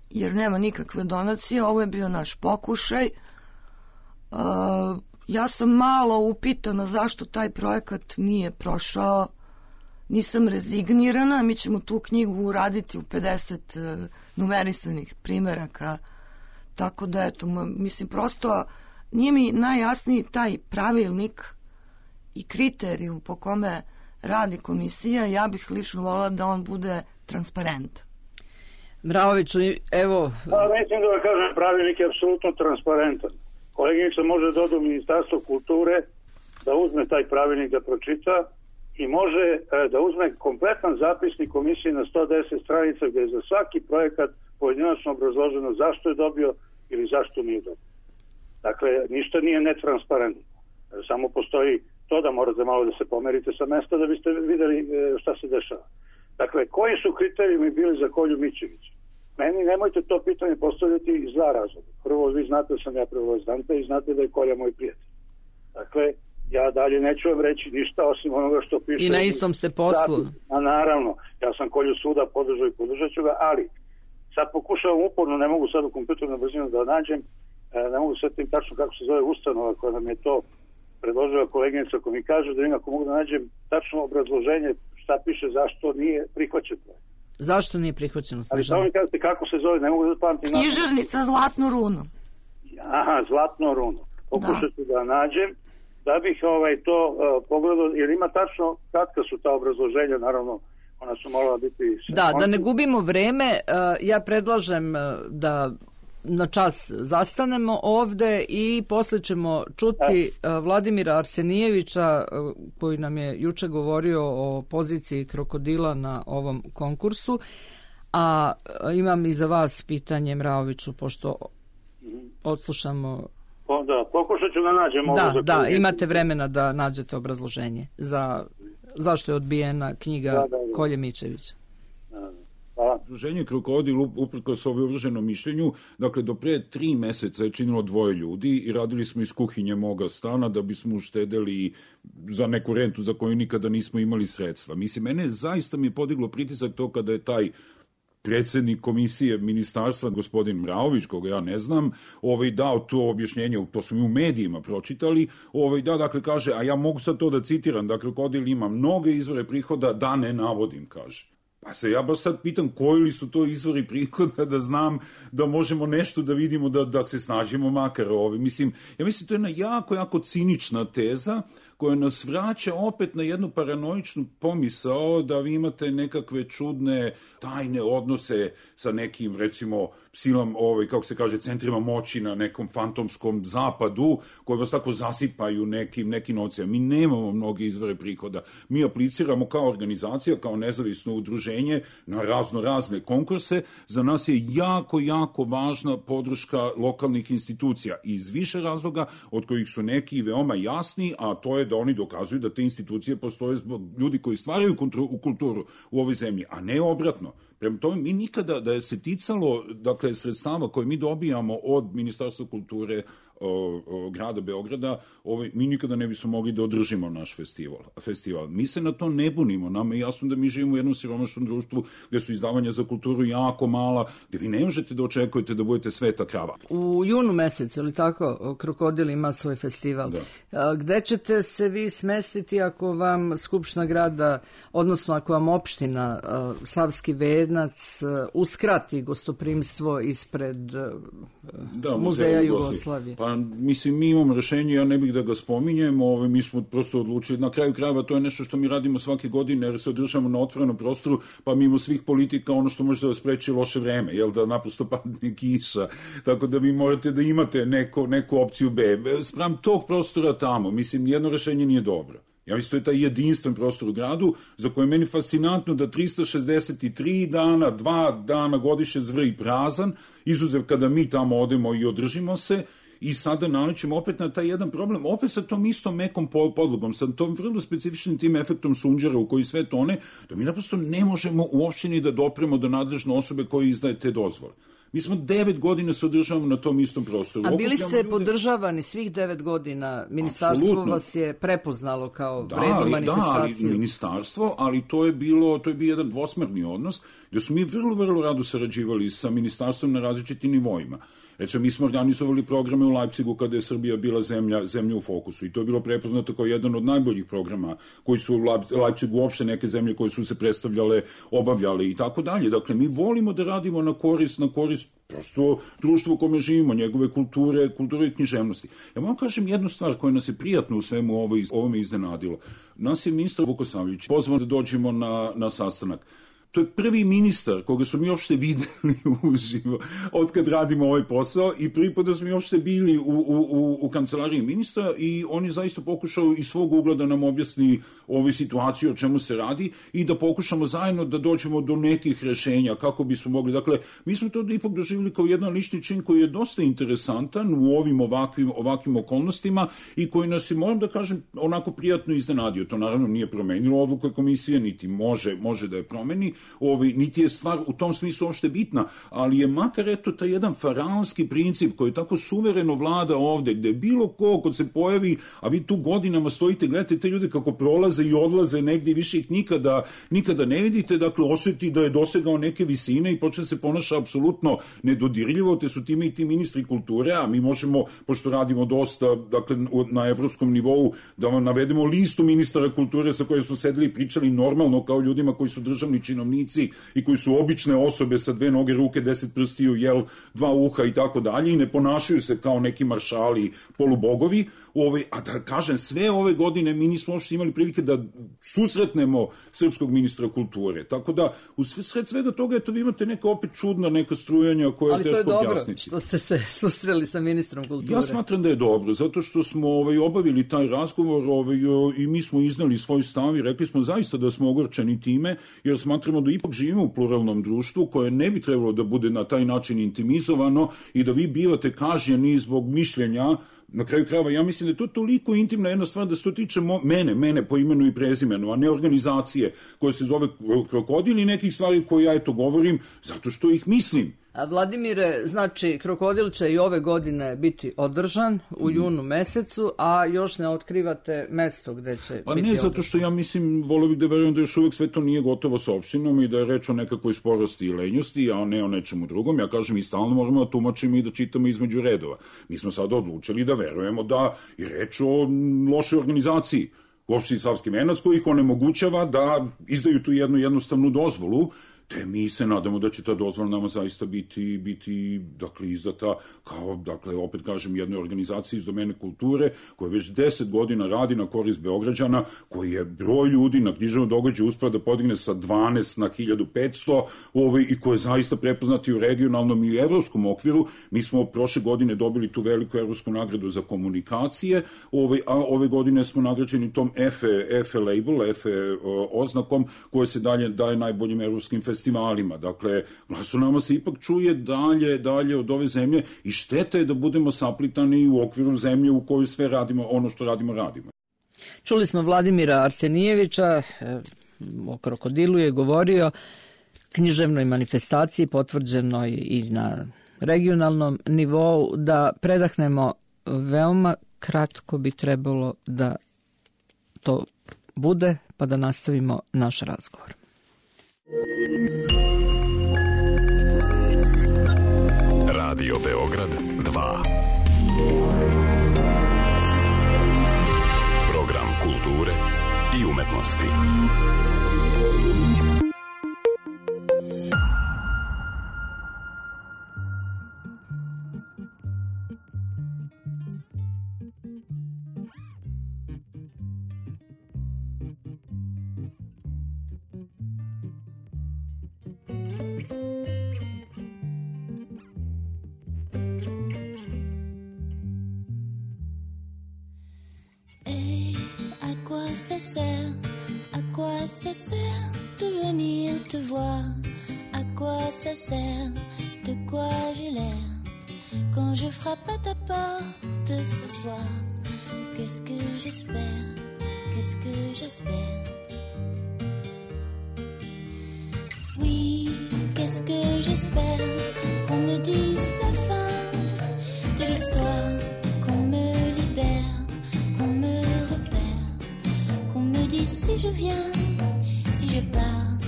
jer nema nikakve donacije. Ovo je bio naš pokušaj. Uh, ja sam malo upitana zašto taj projekat nije prošao. Nisam rezignirana, mi ćemo tu knjigu uraditi u pedeset uh, numerisanih primeraka, tako da eto, mislim, prosto nije mi najjasniji taj pravilnik i kriterijum po kome radi komisija. Ja bih lično volila da on bude transparent. Mraoviću, evo... Pa, mislim da vam kažem, pravilnik je apsolutno transparentan. Koleginica može da ode u Ministarstvo kulture, da uzme taj pravilnik da pročita i može e, da uzme kompletan zapisnik komisije na sto deset stranica gde je za svaki projekat pojedinačno obrazloženo zašto je dobio ili zašto nije dobio. Dakle, ništa nije netransparentno. Samo postoji to da morate malo da se pomerite sa mesta da biste videli e, šta se dešava. Dakle, koji su kriterijumi bili za Kolju Mićevića? Meni nemojte to pitanje postavljati iz dva razloga. Prvo, vi znate da sam ja prevodilac Dantea i znate da je Kolja moj prijatelj. Dakle, ja dalje neću vam reći ništa osim onoga što piše. I na istom ste poslu. A naravno, ja sam Kolju svuda podržao i podržat ću ga, ali sad pokušavam uporno, ne mogu sad u kompjuternu brzinu da nađem, ne mogu sad tim tačno kako se zove ustanova koja nam je to predložila koleginica, ako mi kaže da im ako mogu da nađem tačno obrazloženje šta piše zašto nije prihvaćen projekt. Zašto nije prihvaćeno, Ali Snežana? samo mi kažete kako se zove, ne mogu da pamtim. Književnica Zlatno runo. Aha, Zlatno runo. Pokušat ću da nađem, da bih ovaj, to uh, pogledao, jer ima tačno katka su ta obrazloženja, naravno, ona su morala biti... Da, da ne gubimo vreme, uh, ja predlažem uh, da na čas zastanemo ovde i posle ćemo čuti uh, Vladimira Arsenijevića uh, koji nam je juče govorio o poziciji krokodila na ovom konkursu, a uh, imam i za vas pitanje, Mraoviću, pošto odslušamo... O, da, pokušat ću da nađem ovo. Da, za da, koju... imate vremena da nađete obrazloženje za zašto je odbijena knjiga da, da, da. Kolje Mičevića. Hvala. Udruženje Krokodil, uprkos ovoj uvrženom mišljenju, dakle, do pre tri meseca je činilo dvoje ljudi i radili smo iz kuhinje moga stana da bismo uštedeli za neku rentu za koju nikada nismo imali sredstva. Mislim, mene zaista mi je podiglo pritisak to kada je taj predsjednik komisije ministarstva, gospodin Mraović, koga ja ne znam, ovaj, dao to objašnjenje, to smo mi u medijima pročitali, ovaj, da, dakle, kaže, a ja mogu sad to da citiram, dakle, Krokodil ima mnoge izvore prihoda, da ne navodim, kaže. Pa se ja baš sad pitam koji li su to izvori prihoda da znam da možemo nešto da vidimo da, da se snađemo makar ovi. Mislim, ja mislim to je jedna jako, jako cinična teza koja nas vraća opet na jednu paranoičnu pomisao da vi imate nekakve čudne tajne odnose sa nekim, recimo, silom, ovaj, kako se kaže, centrima moći na nekom fantomskom zapadu koji vas tako zasipaju nekim, nekim novcima. Mi nemamo mnoge izvore prihoda. Mi apliciramo kao organizacija, kao nezavisno udruženje na razno razne konkurse. Za nas je jako, jako važna podrška lokalnih institucija iz više razloga, od kojih su neki veoma jasni, a to je da oni dokazuju da te institucije postoje zbog ljudi koji stvaraju u kulturu u ovoj zemlji, a ne obratno. Prema tome, mi nikada da je se ticalo, dakle, sredstava koje mi dobijamo od Ministarstva kulture o, o, grada Beograda, ovaj, mi nikada ne bismo mogli da održimo naš festival. festival. Mi se na to ne bunimo. Nama je jasno da mi živimo u jednom siromašnom društvu gde su izdavanja za kulturu jako mala, gde vi ne možete da očekujete da budete sveta krava. U junu mesecu, ili tako, Krokodil ima svoj festival. Da. A, gde ćete se vi smestiti ako vam Skupština grada, odnosno ako vam opština a, Savski Venac a, uskrati gostoprimstvo ispred a, da, Muzeja Jugoslavije? Pa, mislim, mi imamo rešenje, ja ne bih da ga spominjem, ove, mi smo prosto odlučili, na kraju krajeva to je nešto što mi radimo svake godine, jer se održamo na otvorenom prostoru, pa mimo svih politika ono što može da vas spreči loše vreme, jel da naprosto padne kiša, tako da vi morate da imate neko, neku opciju B. Spram tog prostora tamo, mislim, jedno rešenje nije dobro. Ja mislim, to je taj jedinstven prostor u gradu, za koje je meni fascinantno da trista šezdeset tri dana, dva dana godišnje zvrji prazan, izuzev kada mi tamo odemo i održimo se, i sada nalećemo opet na taj jedan problem, opet sa tom istom mekom podlogom, sa tom vrlo specifičnim tim efektom sunđera u koji sve tone, da mi naprosto ne možemo uopšte ni da dopremo do nadležne osobe koji izdaje te dozvole. Mi smo devet godina se održavamo na tom istom prostoru. A bili ste ljude... podržavani svih devet godina? Ministarstvo Absolutno. Vas je prepoznalo kao da, vrednu ali, manifestaciju? Da, ali ministarstvo, ali to je bilo, to je bio jedan dvosmerni odnos, gde smo mi vrlo, vrlo rado sarađivali sa ministarstvom na različitim nivoima. Recimo, mi smo organizovali programe u Leipzigu kada je Srbija bila zemlja, zemlja u fokusu i to je bilo prepoznato kao jedan od najboljih programa koji su u Leipzigu uopšte neke zemlje koje su se predstavljale, obavljale i tako dalje. Dakle, mi volimo da radimo na korist, na korist prosto društvo u kome živimo, njegove kulture, kulture i književnosti. Ja mogu kažem jednu stvar koja nas je prijatno u svemu ovo, ovome iznenadilo. Nas je ministar Vukosavljević pozvao da dođemo na, na sastanak. To je prvi ministar koga smo mi uopšte videli uživo od kad radimo ovaj posao i prvi put da smo mi uopšte bili u, u, u kancelariji ministra i on je zaista pokušao iz svog ugla da nam objasni ovu situaciju o čemu se radi i da pokušamo zajedno da dođemo do nekih rešenja kako bismo mogli. Dakle, mi smo to ipak doživjeli kao jedan lični čin koji je dosta interesantan u ovim ovakvim, ovakvim okolnostima i koji nas je, moram da kažem, onako prijatno iznenadio. To naravno nije promenilo odluku komisije, niti može, može da je promeni. Ovi, niti je stvar u tom smislu uopšte bitna, ali je makar eto taj jedan faraonski princip koji tako suvereno vlada ovde, gde bilo ko kod se pojavi, a vi tu godinama stojite, gledate te ljude kako prolaze i odlaze negdje, više ih nikada, nikada ne vidite, dakle osjeti da je dosegao neke visine i počne se ponaša apsolutno nedodirljivo, te su time i ti ministri kulture, a mi možemo, pošto radimo dosta, dakle na evropskom nivou, da vam navedemo listu ministara kulture sa kojoj smo sedeli i pričali normalno kao ljudima koji su državni činovnici činovnici i koji su obične osobe sa dve noge, ruke, deset prstiju, jel, dva uha i tako dalje i ne ponašaju se kao neki maršali, polubogovi. Ovaj, a da kažem, sve ove godine mi nismo uopšte imali prilike da susretnemo srpskog ministra kulture. Tako da, u sred svega toga, eto, vi imate neka opet čudna, neka strujanja koja je teško objasniti. Ali to je dobro što ste se susreli sa ministrom kulture. Ja smatram da je dobro, zato što smo ovaj, obavili taj razgovor ovaj, i mi smo iznali svoj stav i rekli smo zaista da smo ogorčeni time, jer smatramo da ipak živimo u pluralnom društvu koje ne bi trebalo da bude na taj način intimizovano i da vi bivate kažnjeni zbog mišljenja. Na kraju krajeva, ja mislim da je to toliko intimna jedna stvar da se to tiče mene, mene po imenu i prezimenu, a ne organizacije koje se zove Krokodil i nekih stvari koje ja eto govorim zato što ih mislim. A Vladimire, znači, Krokodil će i ove godine biti održan u junu mesecu, a još ne otkrivate mesto gde će pa biti ne, održan. Zato što ja mislim, volio bih da verujem da još uvek sve to nije gotovo sa opštinom i da je reč o nekakvoj sporosti i lenjosti, a ne o nečemu drugom. Ja kažem, i stalno moramo da tumačimo i da čitamo između redova. Mi smo sada odlučili da verujemo da je reč o lošoj organizaciji u opštini Savski Venac koji ih onemogućava da izdaju tu jednu jednostavnu dozvolu, te mi se nadamo da će ta dozvola nama zaista biti, biti dakle, izdata kao, dakle, opet kažem, jednoj organizaciji iz domene kulture koja već deset godina radi na korist Beograđana, koji je broj ljudi na književnom događaju uspeo da podigne sa dvanaest na hiljadu petsto ovaj, i koji je zaista prepoznati u regionalnom i evropskom okviru. Mi smo prošle godine dobili tu veliku evropsku nagradu za komunikacije, ovaj, a ove godine smo nagrađeni tom EFE, EFE label, EFE oznakom koje se dalje daje najboljim evropskim festivalima. festivalima. Dakle, glas u nama se ipak čuje dalje, dalje od ove zemlje i šteta je da budemo saplitani u okviru zemlje u kojoj sve radimo, ono što radimo, radimo. Čuli smo Vladimira Arsenijevića, o Krokodilu je govorio, književnoj manifestaciji potvrđenoj i na regionalnom nivou. Da predahnemo, veoma kratko bi trebalo da to bude, pa da nastavimo naš razgovor. Radio Beograd dva. Program kulture i umetnosti. Ça sert, à quoi ça sert de venir te voir? À quoi ça sert, de quoi j'ai l'air quand je frappe à ta porte ce soir? Qu'est-ce que j'espère, qu'est-ce que j'espère? Oui, qu'est-ce que j'espère? Qu'on me dise la fin de l'histoire, qu'on me libère, qu'on me si je viens, si je pars,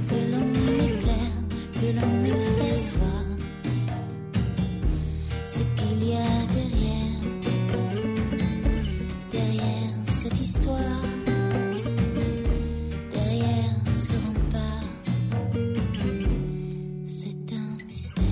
que l'on m'éclaire, que l'on me fasse voir ce qu'il y a derrière, derrière cette histoire, derrière ce rempart, c'est un mystère.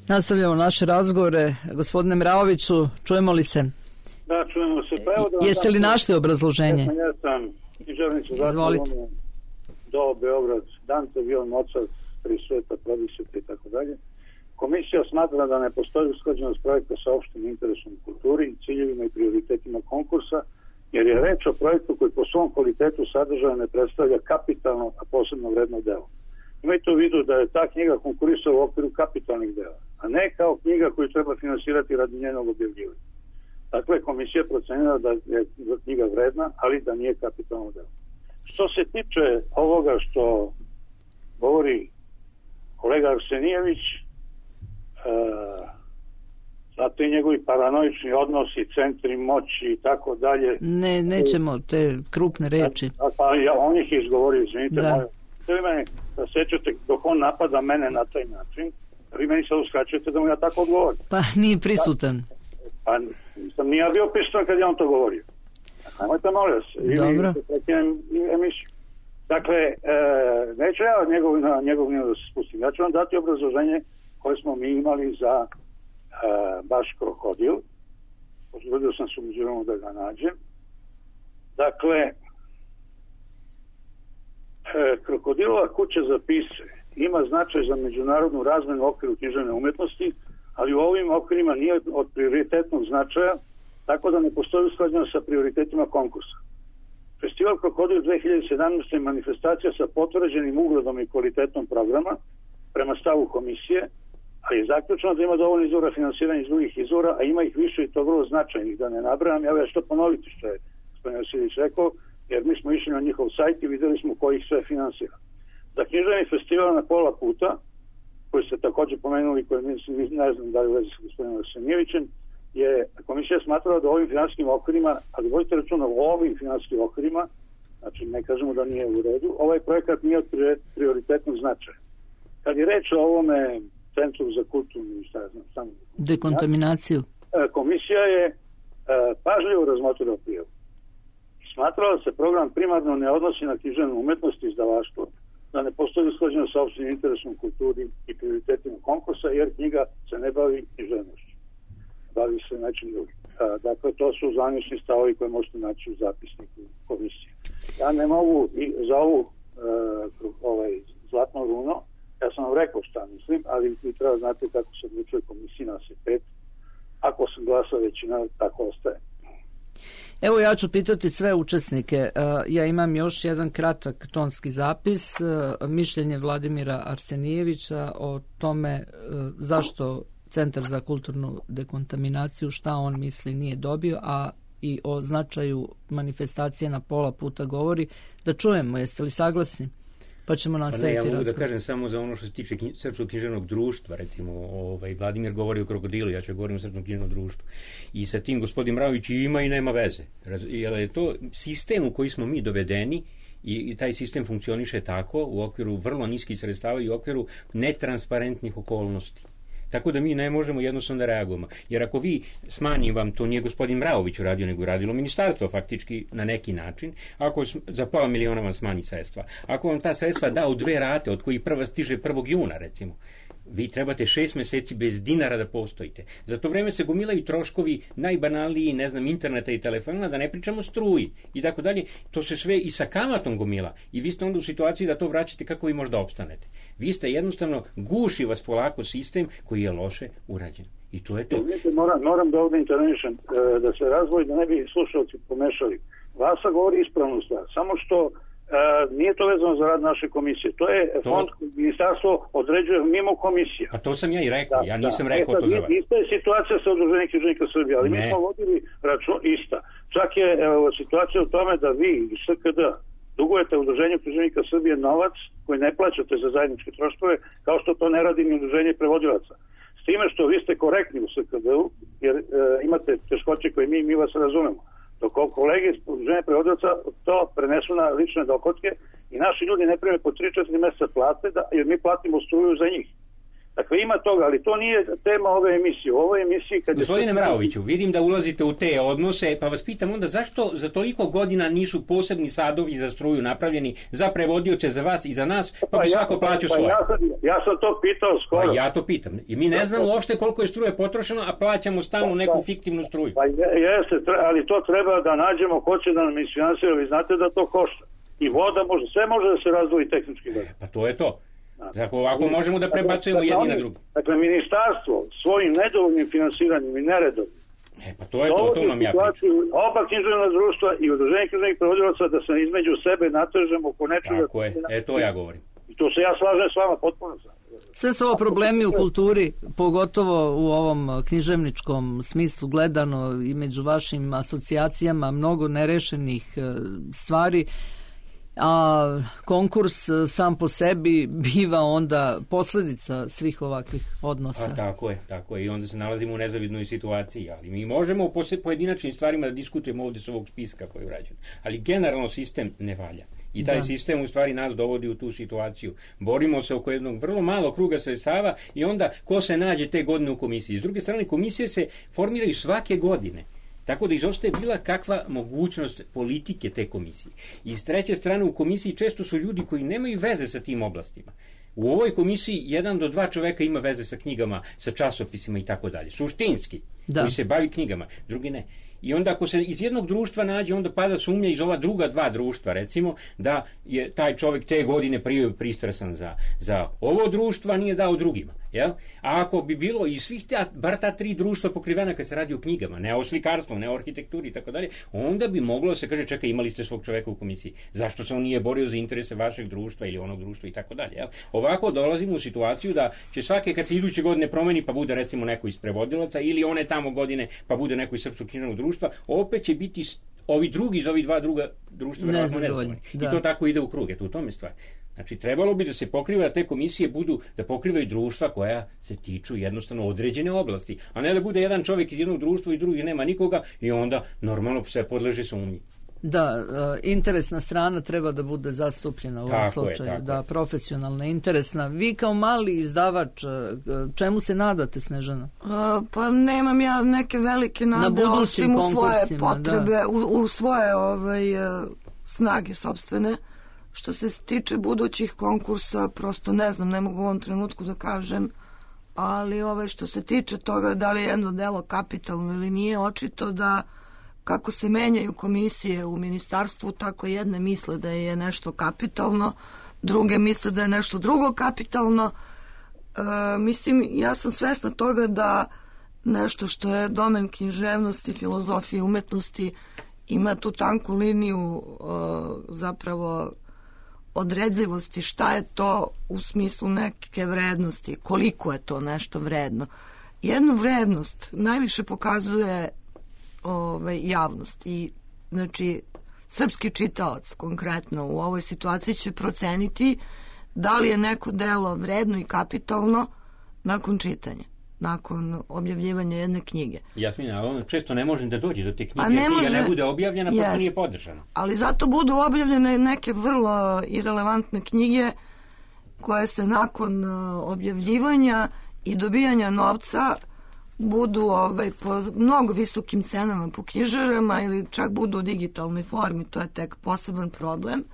Nastavljamo naše razgovore. Gospodine Mraoviću, čujemo li se? Da, čujemo se. Pa evo da Jeste li našli obrazloženje? Ja sam književnicu zatvorenu do Beograd, Dante, Vion, Mozart, Tri sveta, Prodisete i tako dalje. Komisija smatra da ne postoji usklađenost projekta sa opštim interesom u kulturi, ciljevima i prioritetima konkursa, jer je reč o projektu koji po svom kvalitetu sadržaja ne predstavlja kapitalno, a posebno vredno delo. Imajte u vidu da je ta knjiga konkurisala u okviru kapitalnih dela, a ne kao knjiga koju treba finansirati radi njenog objavljivanja. Dakle, komisija procenila da je knjiga vredna, ali da nije kapitalno delo. Što se tiče ovoga što govori kolega Arsenijević, e, zato i njegovi paranoični odnosi, centri moći i tako dalje. Ne, nećemo te krupne reči. A, pa ja, on ih izgovorio, izvinite. Da. Vi mene da sećate dok on napada mene na taj način, vi meni sad uskraćujete da mu ja tako odgovorim. Pa nije prisutan. Pa nisam ni ja bio prisutan kad je on to govorio. Nemojte, molim vas. Dobro. Emisiju. Dakle, e, neću ja njegov, na njegov nivo da se spustim. Ja ću vam dati obrazloženje koje smo mi imali za e, baš Krokodil. Pozvodio sam se umeđuvremenu da ga nađem. Dakle, e, Krokodilova kuća za pise ima značaj za međunarodnu razmenu u okviru književne umetnosti, ali u ovim okvirima nije od prioritetnog značaja, tako da ne postoji usklađenost sa prioritetima konkursa. Festival Krokodil dve hiljade sedamnaeste je manifestacija sa potvrđenim ugledom i kvalitetom programa prema stavu komisije, ali je zaključeno da ima dovoljno izvora finansiranja iz drugih izvora, a ima ih više i to vrlo značajnih, da ne nabrajam. Ja ću to ponoviti što je gospodin Vasilić rekao, jer mi smo išli na njihov sajt i videli smo ko ih sve finansira. Za književni festival na pola puta, koji ste također pomenuli, koji mislim, ne znam da li u vezi sa gospodinom Arsenijevićem, je komisija smatrala da ovim finansijskim okvirima, ali vodite računa o ovim finansijskim okvirima, znači ne kažemo da nije u redu, ovaj projekat nije od prioritetnog značaja. Kad je reč o ovome Centru za kulturnu šta ja znam, samo dekontaminaciju, komisija je pažljivo razmotrila prijavu. Smatrala da se program primarno ne odnosi na književnu umetnost i izdavaštvo, da ne postoji usklađeno sa opštim interesom kulturi i prioritetima konkursa, jer knjiga se ne bavi književnošću. Bavi se nečim drugim. Dakle, to su zvanični stavovi koje možete naći u zapisniku komisije. Ja ne mogu i za ovu uh, ovaj, zlatno runo, ja sam vam rekao šta mislim, ali vi treba znati kako se odlučuje komisija na pet. Ako sam glasa većina, tako ostaje. Evo ja ću pitati sve učesnike. Ja imam još jedan kratak tonski zapis, mišljenje Vladimira Arsenijevića o tome zašto Centar za kulturnu dekontaminaciju, šta on misli nije dobio, a i o značaju manifestacije na pola puta govori. Da čujemo, jeste li saglasni? Pa ćemo nastaviti razgovor. Ja mogu da kažem samo za ono što se tiče knji, Srpskog književnog društva, recimo, ovaj, Vladimir govori o Krokodilu, ja ću govorim o Srpskom književnom društvu. I sa tim gospodin Mraović ima i nema veze. Jer je to sistem u koji smo mi dovedeni i, i taj sistem funkcioniše tako u okviru vrlo niskih sredstava i u okviru netransparentnih okolnosti. Tako da mi ne možemo jednostavno da reagujemo. Jer ako vi smanjim vam, to nije gospodin Mraović uradio, nego radilo ministarstvo faktički na neki način, ako za pola miliona vam smanji sredstva. Ako vam ta sredstva da u dve rate, od kojih prva stiže prvog juna, recimo, vi trebate šest meseci bez dinara da postojite. Za to vreme se gomilaju troškovi najbanalniji, ne znam, interneta i telefona, da ne pričamo struji i tako dalje. To se sve i sa kamatom gomila i vi ste onda u situaciji da to vraćate kako vi možda opstanete. Vi ste jednostavno, guši vas polako sistem koji je loše urađen. I to je to. Moram, moram da ovdje intervenišem, da se razvoji, da ne bi slušalci pomešali. Vasa govori ispravnu stvar, samo što Uh, nije to vezano za rad naše komisije. To je to... fond koji ministarstvo određuje mimo komisija. A to sam ja i rekao. Da, ja nisam da. rekao e, to za vas. Ista je situacija sa udruženjem književnika Srbije, ali ne. Mi smo vodili račun ista. Čak je evo, situacija u tome da vi iz S K D dugujete udruženju književnika Srbije novac koji ne plaćate za zajedničke troškove, kao što to ne radi ni udruženje prevodilaca. S time što vi ste korektni u S K D-u, jer e, imate teškoće koje mi, mi vas razumemo. Dok kolege iz udruženja prevodilaca to prenesu na lične dohotke i naši ljudi ne prime po tri četiri mjeseca plate, da, jer mi platimo struju za njih. Dakle, ima toga, ali to nije tema ove emisije. U ovoj emisiji... Kad Gospodine je... Mraoviću, vidim da ulazite u te odnose, pa vas pitam onda zašto za toliko godina nisu posebni sadovi za struju napravljeni za prevodioce, za vas i za nas, pa, pa bi svako ja, plaćao pa svoje? Ja sam, ja sam to pitao skoro. Pa ja to pitam. I mi ne znamo uopšte koliko je struje potrošeno, a plaćamo stalno neku fiktivnu struju. Pa jeste, ali to treba da nađemo ko će da nam isfinansira. Vi znate da to košta. I voda može, sve može da se razdvoji tehnički. Pa to je to. Dakle, ovako možemo da prebacujemo dakle, jedni na drugi. Dakle, ministarstvo svojim nedovoljnim finansiranjem i neredovnim e, pa to je to, to nam ja pričam. Oba književna društva i udruženje književnih prevodilaca da se između sebe natežemo oko nečega. Tako je, e, to ja govorim. I to se ja slažem s vama potpuno. Sve su ovo problemi u kulturi, pogotovo u ovom književničkom smislu gledano i među vašim asocijacijama, mnogo nerešenih stvari. A konkurs sam po sebi biva onda posljedica svih ovakvih odnosa. A tako je, tako je. I onda se nalazimo u nezavidnoj situaciji. Ali mi možemo u pojedinačnim stvarima da diskutujemo ovdje s ovog spiska koji je urađen. Ali generalno sistem ne valja. I taj da. sistem u stvari nas dovodi u tu situaciju. Borimo se oko jednog vrlo malo kruga sredstava i onda ko se nađe te godine u komisiji. S druge strane, komisije se formiraju svake godine. Tako da izostaje bila kakva mogućnost politike te komisije. I s treće strane u komisiji često su ljudi koji nemaju veze sa tim oblastima. U ovoj komisiji jedan do dva čoveka ima veze sa knjigama, sa časopisima i tako dalje. Suštinski, da. koji se bavi knjigama, drugi ne. I onda ako se iz jednog društva nađe, onda pada sumnja iz ova druga dva društva, recimo, da je taj čovjek te godine prije pristrasan za, za ovo društvo, a nije dao drugima. Jel? A ako bi bilo i svih ta, bar ta tri društva pokrivena kad se radi o knjigama, ne o slikarstvu, ne o arhitekturi i tako dalje, onda bi moglo se kaže, čekaj, imali ste svog čoveka u komisiji. Zašto se on nije borio za interese vašeg društva ili onog društva i tako dalje. Jel? Ovako dolazimo u situaciju da će svake kad se iduće godine promeni pa bude recimo neko iz prevodilaca ili one tamo godine pa bude neko iz srpskog književnog društva, opet će biti ovi drugi iz ovih dva druga društva nezadovoljni. I to tako ide u krug, eto u tome stvar. Znači, trebalo bi da se pokriva, da te komisije budu, da pokrivaju društva koja se tiču jednostavno određene oblasti, a ne da bude jedan čovjek iz jednog društva i drugi nema nikoga i onda normalno sve podleže sumnji. Da, interesna strana treba da bude zastupljena u ovom tako slučaju, je, da, profesionalna, interesna. Vi kao mali izdavač, čemu se nadate, Snežana? A, pa nemam ja neke velike nade, Na osim u svoje potrebe, u, u svoje ovaj, snage sopstvene. Što se tiče budućih konkursa, prosto ne znam, ne mogu u ovom trenutku da kažem, ali ovaj, što se tiče toga da li je jedno delo kapitalno ili nije, očito da kako se menjaju komisije u ministarstvu, tako jedne misle da je nešto kapitalno, druge misle da je nešto drugo kapitalno. E, mislim, ja sam svesna toga da nešto što je domen književnosti, filozofije, umetnosti, ima tu tanku liniju e, zapravo odredljivosti, šta je to u smislu neke vrednosti, koliko je to nešto vredno. Jednu vrednost najviše pokazuje ovaj, javnost i znači srpski čitaoc konkretno u ovoj situaciji će proceniti da li je neko delo vredno i kapitalno nakon čitanja, nakon objavljivanja jedne knjige. Jasmina, ali ono često ne može da dođe do te knjige, ne knjiga može, ne bude objavljena, pa to nije podržana. Ali zato budu objavljene neke vrlo irelevantne knjige koje se nakon objavljivanja i dobijanja novca budu ovaj, po mnogo visokim cenama po knjižarama ili čak budu u digitalnoj formi, to je tek poseban problem.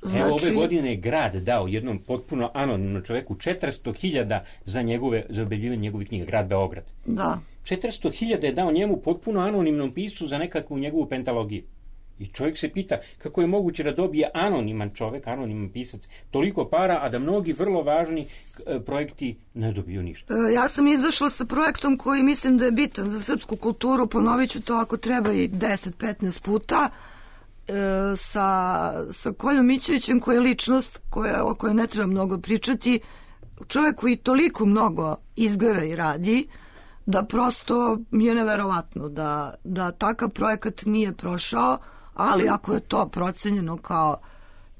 Znači, evo ove godine je grad dao jednom potpuno anonimnom čoveku četiristo hiljada za njegove, za objavljivanje njegovih knjiga, grad Beograd. Da. četiristo hiljada je dao njemu potpuno anonimnom piscu za nekakvu njegovu pentalogiju. I čovjek se pita kako je moguće da dobije anoniman čovjek, anoniman pisac, toliko para, a da mnogi vrlo važni e, projekti ne dobiju ništa. E, ja sam izašla sa projektom koji mislim da je bitan za srpsku kulturu, ponovit ću to ako treba i deset petnaest puta, e, sa, sa Koljom Mićevićem, koja je ličnost koja, o kojoj ne treba mnogo pričati, čovjek koji toliko mnogo izgara i radi, da prosto mi je neverovatno da, da takav projekat nije prošao, ali ako je to procenjeno kao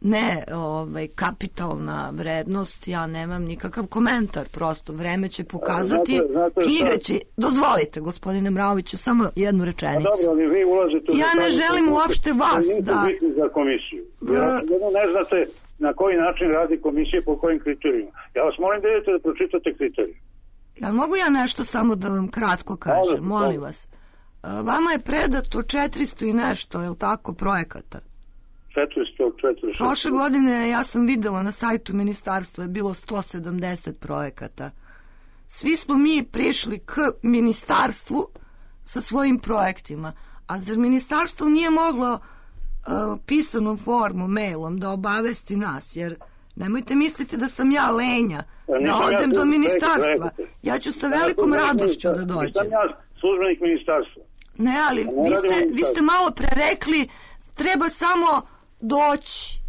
ne ovaj, kapitalna vrednost, ja nemam nikakav komentar, prosto vreme će pokazati, znate, znate, knjiga će, dozvolite gospodine Mraoviću, samo jednu rečenicu. A dobro, ali vi ulazite u ja ne želim uopšte vas da... za komisiju. Ja, uh, ne znate na koji način radi komisija, po kojim kriterijima. Ja vas molim da idete da pročitate kriterije. Jel mogu ja nešto samo da vam kratko kažem, molim vas? Vama je predato četiristo i nešto, je li tako, projekata? četiristo, četiristo. Prošle godine ja sam videla na sajtu ministarstva je bilo sto sedamdeset projekata. Svi smo mi prišli k ministarstvu sa svojim projektima. A zar ministarstvo nije moglo uh, pisanom formu, mailom da obavesti nas? Jer nemojte misliti da sam ja lenja, da odem do ministarstva. Ja ću sa velikom radošću da dođem. Nisam ja službenik ministarstva. Ne, ali vi ste, vi ste malo pre rekli treba samo doći.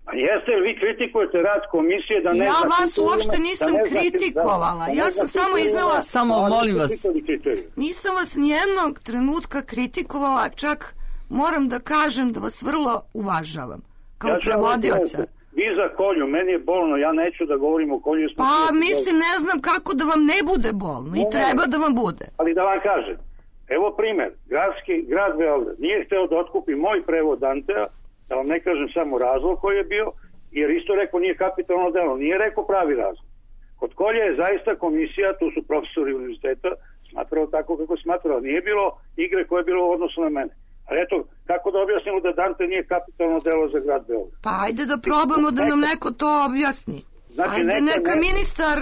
A jeste li vi kritikujete rad komisije da ne... Ja vas uopšte nisam kritikovala. Ja sam samo iznala... Samo molim vas. Nisam vas nijednog trenutka kritikovala, čak moram da kažem da vas vrlo uvažavam. Kao prevodioca. Vi za kolju, meni je bolno, ja neću da govorim o kolju. Pa mislim, ne znam kako da vam ne bude bolno i treba da vam bude. Ali da vam kažem, evo primer, gradski, grad Beograd nije hteo da otkupi moj prevod Dantea, da vam ne kažem samo razlog koji je bio, jer isto rekao nije kapitalno delo, nije rekao pravi razlog. Kod kolje je zaista komisija, tu su profesori univerziteta, smatrao tako kako smatrao, nije bilo igre koje je bilo u odnosu na mene. Ali eto, kako da objasnimo da Dante nije kapitalno delo za grad Beograd? Pa ajde da probamo da nam neko to objasni. Znači, ajde neka, neka ministar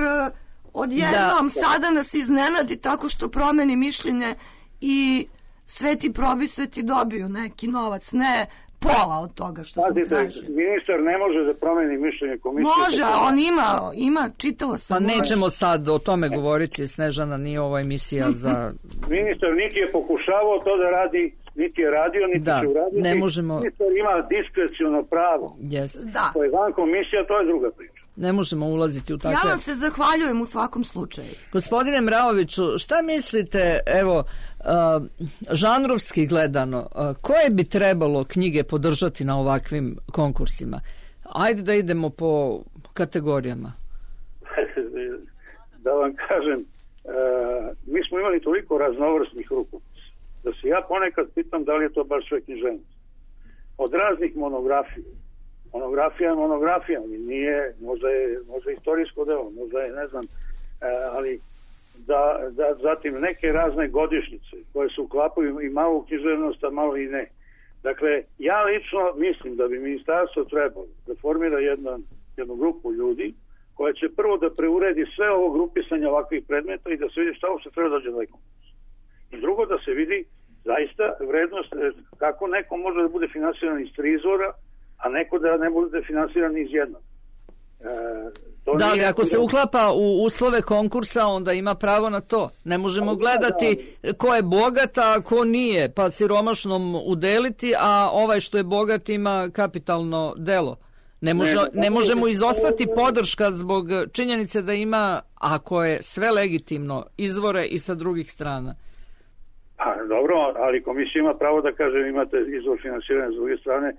odjednom da. sada nas iznenadi tako što promeni mišljenje i sveti probisveti dobiju neki novac, ne pola od toga što sam tražio. Ministar ne može da promeni mišljenje komisije. Može, on ima, ima, čitala sam. Pa nećemo sad o tome govoriti, Snežana, nije ova emisija za... Ministar niti je pokušavao to da radi, niti je radio, niti da, će uraditi. Ne možemo... Ministar ima diskreciono pravo. Yes. Da. To je van komisija, to je druga priča. Ne možemo ulaziti u takve... Ja vam se zahvaljujem u svakom slučaju. Gospodine Mraoviću, šta mislite, evo, uh, žanrovski gledano, uh, koje bi trebalo knjige podržati na ovakvim konkursima? Ajde da idemo po kategorijama. Da vam kažem, uh, mi smo imali toliko raznovrsnih rukopisa, da se ja ponekad pitam da li je to baš sve književnost. Od raznih monografija, monografija je monografija, nije, možda je, možda je istorijsko delo, možda je, ne znam, e, ali da, da zatim neke razne godišnjice koje se uklapaju i malo u književnost, a malo i ne. Dakle, ja lično mislim da bi ministarstvo trebalo da formira jedan, jednu grupu ljudi koja će prvo da preuredi sve ovo grupisanje ovakvih predmeta i da se vidi šta uopšte treba dođe do konkurs. I drugo da se vidi zaista vrednost, kako neko može da bude finansiran iz tri izvora, a neko da ne bude finansiran iz jednog. E, da, ali ako se uklapa u uslove konkursa, onda ima pravo na to. Ne možemo ali, gledati da, ko je bogat, a ko nije, pa siromašnom udeliti, a ovaj što je bogat ima kapitalno delo. Ne, može, ne, ne možemo izostati podrška zbog činjenice da ima, ako je sve legitimno, izvore i sa drugih strana. A, dobro, ali komisija ima pravo da kaže imate izvor finansiranja s druge strane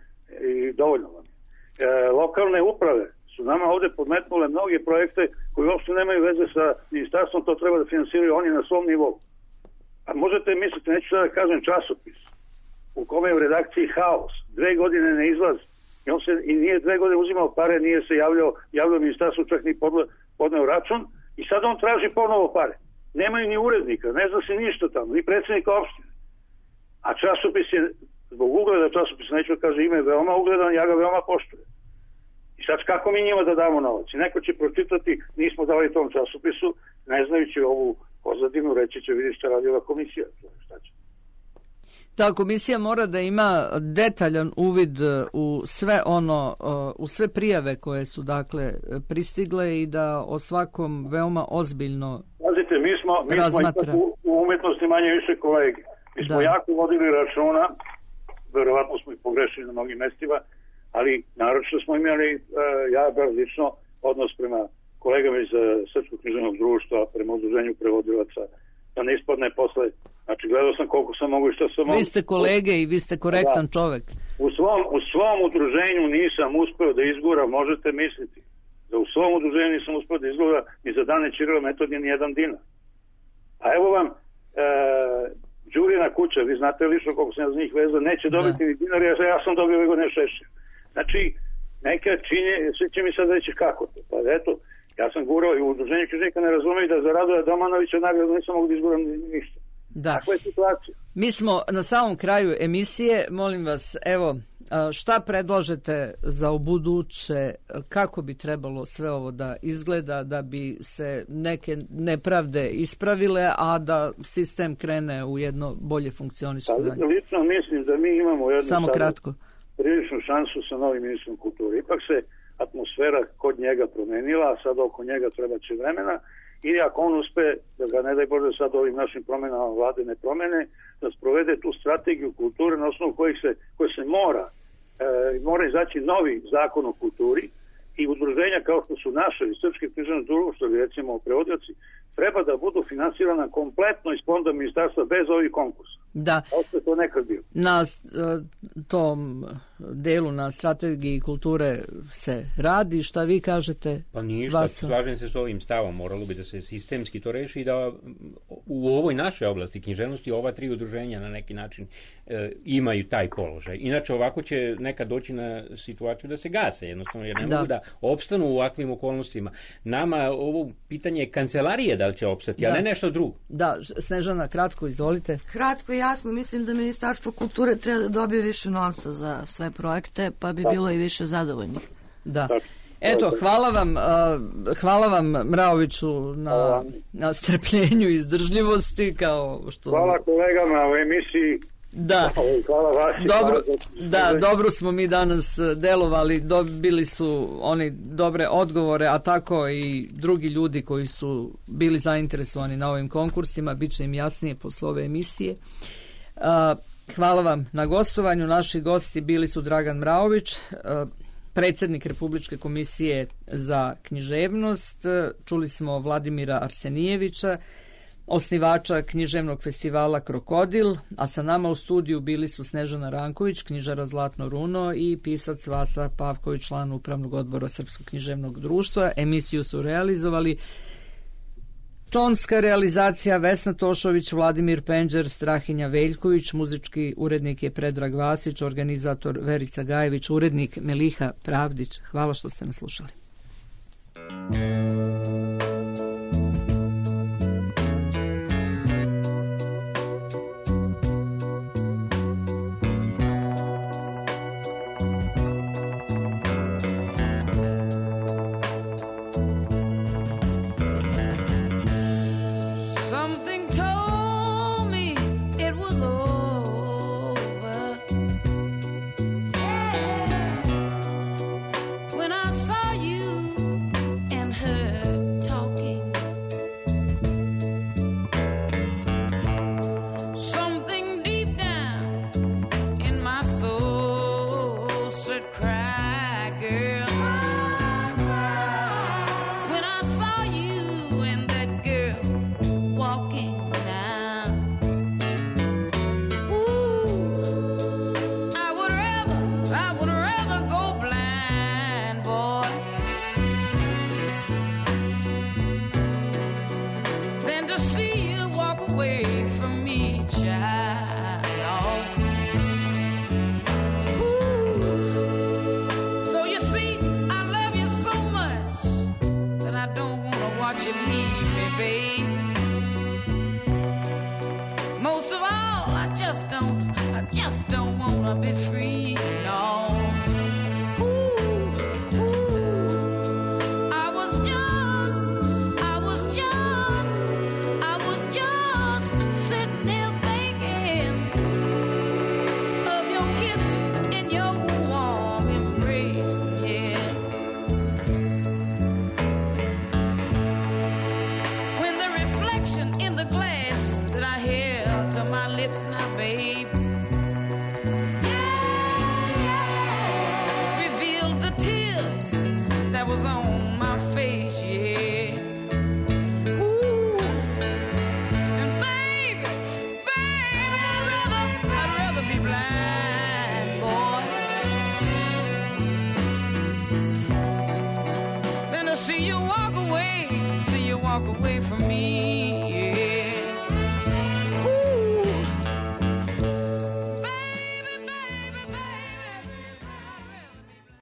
i dovoljno vam. E, lokalne uprave su nama ovde podmetnule mnoge projekte koji uopšte nemaju veze sa ministarstvom, to treba da finansiraju oni na svom nivou. A možete misliti, neću sada da kažem časopis, u kome je u redakciji haos, dve godine ne izlazi, i on se i nije dve godine uzimao pare, nije se javljao, javljao ministarstvo, čak ni podneo račun, i sad on traži ponovo pare. Nemaju ni urednika, ne zna se ništa tamo, ni predsjednika opštine. A časopis je, zbog ugleda časopisa, neću da kaže ime, veoma ugledan, ja ga veoma poštujem. I sad kako mi njima da damo novac? I neko će pročitati, nismo dali tom časopisu, ne znajući ovu pozadinu, reći će vidi šta radi ova komisija. Šta će? Ta komisija mora da ima detaljan uvid u sve ono, u sve prijave koje su dakle pristigle i da o svakom veoma ozbiljno Pazite, mi smo, mi razmatra. smo u, u umetnosti manje više kolege. Mi smo da. jako vodili računa, verovatno smo i pogrešili na mnogim mestima, ali naročito smo imali, uh, ja bar lično, odnos prema kolegama iz uh, Srpskog književnog društva, prema udruženju prevodilaca, da ne ispadne posle. Znači, gledao sam koliko sam mogu i što sam mogu. Vi ste kolege i vi ste korektan da. čovek. U svom, u svom udruženju nisam uspeo da izgura, možete misliti, da u svom udruženju nisam uspeo da izgura ni za Dane Ćirila Metodije ni jedan dinar. A evo vam, e, Đurina kuća, vi znate lično koliko sam ja za njih vezao, neće dobiti da. ni dinar, ja, ja sam dobio ove godine šešće. Znači, neke činje, svi će mi sad reći kako to. Pa eto, ja sam gurao i u udruženju književnika ne razumiju da za Radoja Domanovića nagradu nisam mogu da izguram ništa. Da. Takva je situacija. Mi smo na samom kraju emisije, molim vas, evo, šta predlažete za ubuduće, kako bi trebalo sve ovo da izgleda, da bi se neke nepravde ispravile, a da sistem krene u jedno bolje funkcionisanje? Pa, lično mislim da mi imamo jednu Samo kratko. priličnu šansu sa novim ministrom kulture. Ipak se atmosfera kod njega promenila, a sad oko njega treba će vremena, i ako on uspe, da ga ne daj Bože sad ovim našim promenama vlade ne promene, da sprovede tu strategiju kulture na osnovu kojih se, koje se mora e, mora izaći novi zakon o kulturi, i udruženja kao što su naše i Srpske književno društvo, ili recimo prevodioci, treba da budu finansirana kompletno iz fonda ministarstva bez ovih konkursa. Da. Ovo to nekad bio. Na tom delu, na strategiji kulture se radi. Šta vi kažete? Pa ništa, Vaso? Slažem se s ovim stavom. Moralo bi da se sistemski to reši i da u ovoj našoj oblasti književnosti ova tri udruženja na neki način e, imaju taj položaj. Inače ovako će nekad doći na situaciju da se gase, jednostavno, jer ne da. mogu da opstanu u ovakvim okolnostima. Nama ovo pitanje je kancelarije da li će opstati, da. a ne nešto drugo. Da, Snežana, kratko, izvolite. Kratko i jasno, mislim da Ministarstvo kulture treba da dobije više novca za sve projekte, pa bi bilo i više zadovoljnih. Da. Eto, hvala vam, hvala vam Mraoviću na, na strpljenju i izdržljivosti, kao što... Hvala kolegama u emisiji. Da, hvala vaši, dobro, hvala. Da, dobro smo mi danas delovali, dobili su oni dobre odgovore, a tako i drugi ljudi koji su bili zainteresovani na ovim konkursima, bit će im jasnije posle ove emisije. Hvala vam na gostovanju. Naši gosti bili su Dragan Mraović, predsjednik Republičke komisije za književnost, čuli smo Vladimira Arsenijevića, osnivača književnog festivala Krokodil, a sa nama u studiju bili su Snežana Ranković, knjižara Zlatno runo, i pisac Vasa Pavković, član upravnog odbora Srpskog književnog društva. Emisiju su realizovali tonska realizacija Vesna Tošović, Vladimir Penđer, Strahinja Veljković, muzički urednik je Predrag Vasić, organizator Verica Gajević, urednik Meliha Pravdić. Hvala što ste nas slušali. See you walk away, see you walk away from me, yeah.